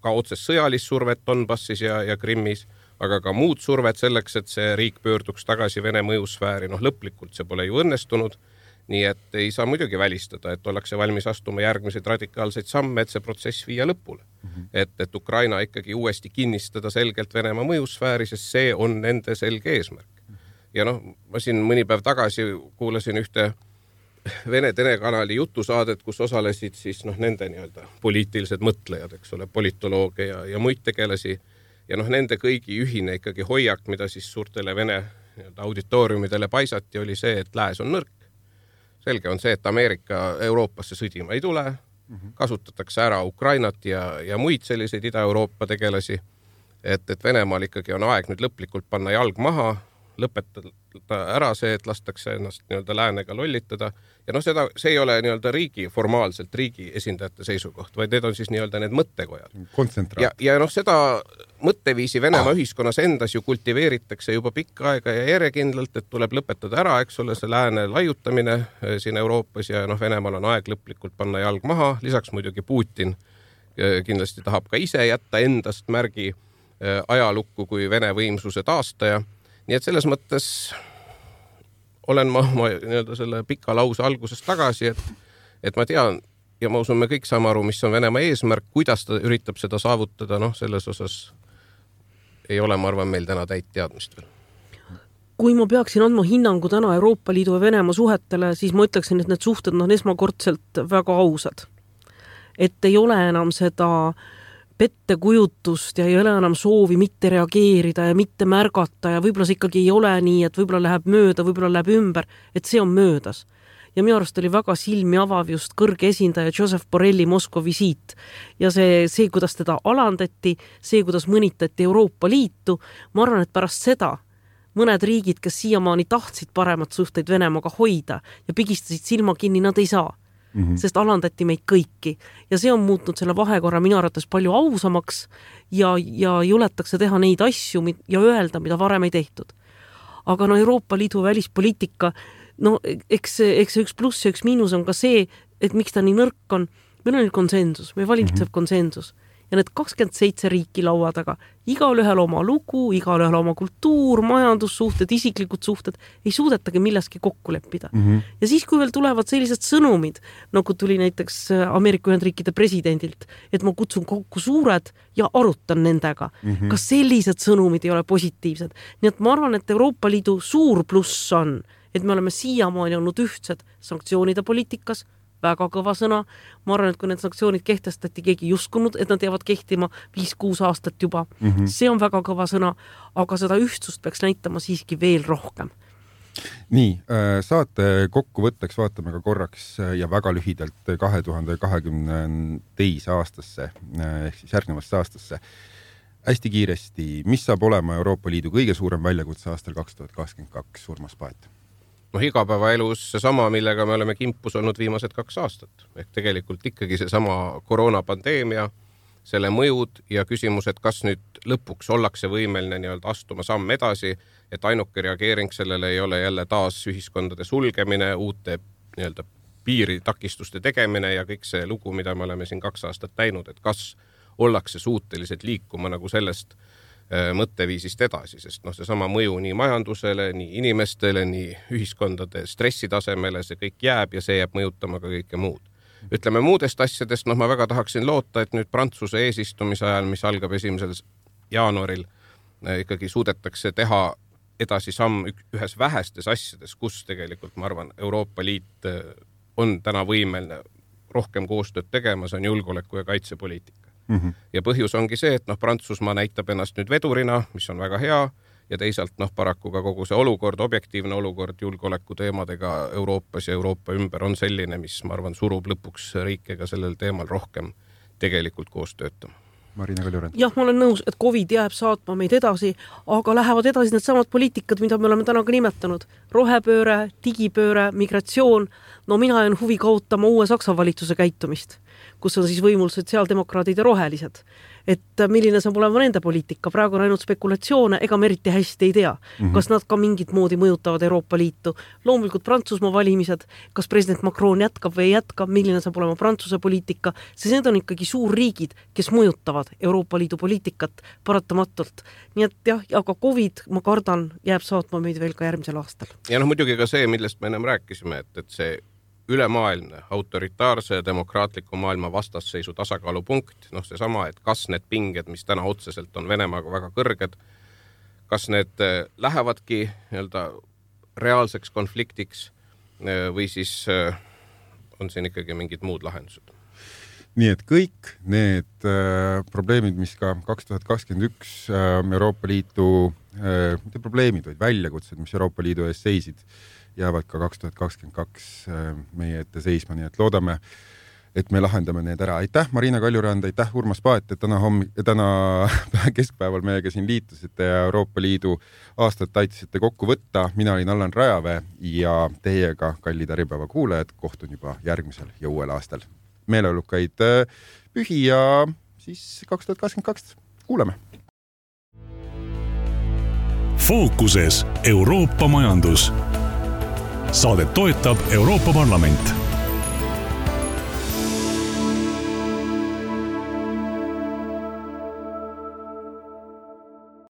ka otsest sõjalist survet Donbassis ja Krimmis, aga ka muud survet selleks, et see riik pöörduks tagasi Vene mõjusfääri. Lõplikult see pole ju õnnestunud, nii et ei saa muidugi välistada, et ollakse valmis astuma järgmiseid radikaalseid samme, et see protsess viia lõpule. Et Ukraina ikkagi uuesti kinnistada selgelt Venemaa mõjusfääri, sest see on nende selge eesmärk. Ja ma siin mõni päev tagasi kuulasin ühte Vene telekanali jutusaadet, kus osalesid siis nende poliitilised mõtlejad, politolooge ja muid tegelasi. Ja nende kõigi ühine ikkagi hoiak, mida siis suurtele Vene auditooriumidele paisati, oli see, et lääs on nõrk. Selge on see, et Ameerika Euroopasse sõdima ei tule, kasutatakse ära Ukrainat ja muid selliseid Ida-Euroopa tegelasi, et Venemaal ikkagi on aeg nüüd lõplikult panna jalg maha, lõpetada ära see, et lastakse ennast läänega lollitada. Ja see ei ole formaalselt riigi esindajate seisukoht, vaid need on siis need mõttekojad. Kontsentraat. Ja seda mõtteviisi Venemaa ühiskonnas endas ju kultiveeritakse juba pikka aega ja järjekindlalt, et tuleb lõpetada ära, see lääne laiutamine siin Euroopas ja Venemaal on aeg lõplikult panna jalg maha. Lisaks muidugi Putin kindlasti tahab ka ise jätta endast märgi ajalukku kui Vene võimsuse taastaja. Nii et selles mõttes olen ma selle pika lause algusest tagasi, et ma tean ja ma usun, me kõik saame aru, mis on Venemaa eesmärk, kuidas ta üritab seda saavutada, selles osas ei ole, ma arvan, meil täna täit teadmist veel. Kui ma peaksin andma hinnangu täna Euroopa Liidu ja Venemaa suhetele, siis ma ütleksin, et need suhted on esmakordselt väga ausad. Et ei ole enam seda pettekujutust ja ei ole enam soovi mitte reageerida ja mitte märgata ja võib-olla see ikkagi ei ole nii, et võib-olla läheb mööda, võib-olla läheb ümber, et see on möödas. Ja minu arust oli väga silmi avav just kõrge esindaja Joseph Borrelli Moskva visiit ja see, kuidas teda alandati, see, kuidas mõnitati Euroopa Liitu, ma arvan, et pärast seda mõned riigid, kes siiamaani tahtsid paremat suhteid Venemaaga hoida ja pigistasid silma kinni, nad ei saa. Sest alandati meid kõiki ja see on muutnud selle vahekorra minu arvates palju ausamaks ja juletakse teha neid asju ja öelda, mida varem ei tehtud. Aga Euroopa Liidu välispoliitika, eks üks pluss ja üks miinus on ka see, et miks ta nii nõrk on. Meil on konsensus, meil valitsev konsensus ja need 27 riiki laua taga, igalühel oma lugu, igalühel oma kultuur, majandussuhted, isiklikud suhted, ei suudetagi milleski kokku leppida. Ja siis, kui veel tulevad sellised sõnumid, nagu tuli näiteks Ameerika Ühendriikide presidendilt, et ma kutsun kokku suured ja arutan nendega, kas sellised sõnumid ei ole positiivsed. Nii et ma arvan, et Euroopa Liidu suur pluss on, et me oleme siiamaani olnud ühtsed sanktsioonide poliitikas, väga kõva sõna. Ma arvan, et kui need sanktsioonid kehtestati, keegi ei uskunud, et nad jäävad kehtima 5-6 aastat juba. See on väga kõva sõna, aga seda ühtsust peaks näitama siiski veel rohkem. Nii, saate kokkuvõtteks vaatame ka korraks ja väga lühidalt 2022. aastasse ehk siis järgnevasse aastasse. hästi kiiresti, mis saab olema Euroopa Liidu kõige suurem väljakutse aastal 2022, Urmas Paet? Igapäevaelus seesama, millega me oleme kimpus olnud viimased 2 aastat. Ehk tegelikult ikkagi seesama koroonapandeemia, selle mõjud ja küsimus, et kas nüüd lõpuks ollakse võimeline nii-öelda astuma samm edasi, et ainuke reageering sellele ei ole jälle taas ühiskondade sulgemine, uute nii-öelda piiritakistuste tegemine ja kõik see lugu, mida me oleme siin 2 aastat näinud, et kas ollakse suutelised liikuma nagu sellest mõtteviisist edasi, sest seesama mõju nii majandusele, nii inimestele, nii ühiskondade stressitasemele, see kõik jääb ja see jääb mõjutama ka kõike muud. Ütleme muudest asjadest, ma väga tahaksin loota, et nüüd Prantsuse eesistumise ajal, mis algab 1. jaanuaril, ikkagi suudetakse teha edasi samm ühes vähestes asjades, kus tegelikult, ma arvan, Euroopa Liit on täna võimeline rohkem koostööd tegema, see on julgeoleku ja kaitsepoliitika. Ja põhjus ongi see, et Prantsusmaa näitab ennast nüüd vedurina, mis on väga hea, ja teisalt paraku ka kogu see olukord, objektiivne olukord julgeoleku teemadega Euroopas ja Euroopa ümber on selline, mis, ma arvan, surub lõpuks riikega sellel teemal rohkem tegelikult koos töötama. Marina Kaljurand. Jah, ma olen nõus, et COVID jääb saatma meid edasi, aga lähevad edasi need samad poliitikad, mida me oleme täna ka nimetanud. Rohepööre, digipööre, migratsioon. Mina jään huvi kaotama uue Saksa valitsuse käitumist, kus on siis võimul sotsiaaldemokraadid ja rohelised. Et milline saab olema nende poliitika. Praegu on ainult spekulatsioone, ega me eriti hästi ei tea. Kas nad ka mingit moodi mõjutavad Euroopa Liitu. Loomulikult Prantsusmaa valimised, kas president Macron jätkab või ei jätka, milline saab olema Prantsuse poliitika, sest need on ikkagi suurriigid, kes mõjutavad Euroopa Liidu poliitikat paratamatult. Nii et jah, aga COVID, ma kardan, jääb saatma meid veel ka järgmisel aastal. Ja muidugi ka see, millest me ennem rääkisime, et see ülemaailmne, autoritaarse ja demokraatliku maailma vastasseisu tasakaalupunkt, seesama, et kas need pinged, mis täna otseselt on Venemaaga väga kõrged, kas need lähevadki nii-öelda reaalseks konfliktiks või siis on siin ikkagi mingid muud lahendused? Nii et kõik need probleemid, mis ka 2021 Euroopa Liidu, mitte probleemid, vaid väljakutsed, mis Euroopa Liidu ees seisid, jäävad ka 2022 meie ette seisma, nii et loodame, et me lahendame need ära. Aitäh, Marina Kaljurand, aitäh, Urmas Paet, et täna keskpäeval meiega siin liitusite ja Euroopa Liidu aastat aitasite kokku võtta. Mina olin Allan Rajavee ja teiega, kallid Äripäeva kuulajad, kohtun juba järgmisel ja uuel aastal. Meeleolukaid pühi ja siis 2022 kuuleme. Fookuses Euroopa majandus. Saadet toetab Euroopa Parlament.